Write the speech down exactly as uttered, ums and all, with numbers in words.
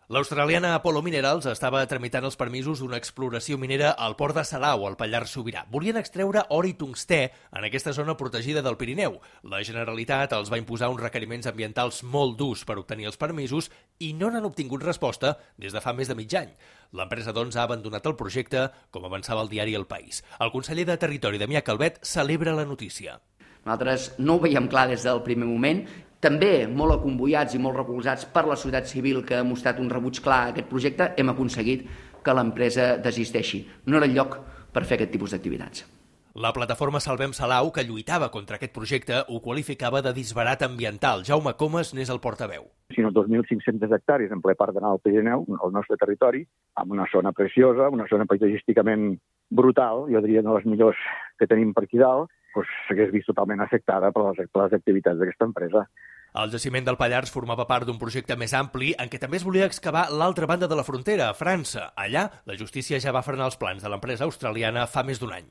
L'australiana Apollo Minerals estava tramitant els permisos d'una exploració minera al port de Salau, al Pallars Sobirà. Volien extreure or i tungstè en aquesta zona protegida del Pirineu. La Generalitat els va imposar uns requeriments ambientals molt durs per obtenir els permisos i no n'han obtingut resposta des de fa més de mig any. L'empresa, doncs, ha abandonat el projecte, com avançava el diari El País. El conseller de Territori, Damià Calvet, celebra la notícia. Nosaltres no ho veiem clar des del primer moment, també molt acomboiats i molt recolzats per la societat civil que ha mostrat un rebuig clar a aquest projecte, hem aconseguit que l'empresa desisteixi. No era el lloc per fer aquest tipus d'activitats. La plataforma Salvem Salau, que lluitava contra aquest projecte, ho qualificava de disbarat ambiental. Jaume Comas n'és el portaveu. Sinó dos mil cinc-centes hectàrees en ple parc de al Pirineu, al nostre territori, amb una zona preciosa, una zona paisatgísticament brutal, jo diria una de les millors que tenim per aquí dalt, doncs s'hagués vist totalment afectada per les, per les activitats d'aquesta empresa. El jaciment del Pallars formava part d'un projecte més ampli en què també es volia excavar l'altra banda de la frontera, a França. Allà, la justícia ja va frenar els plans de l'empresa australiana fa més d'un any.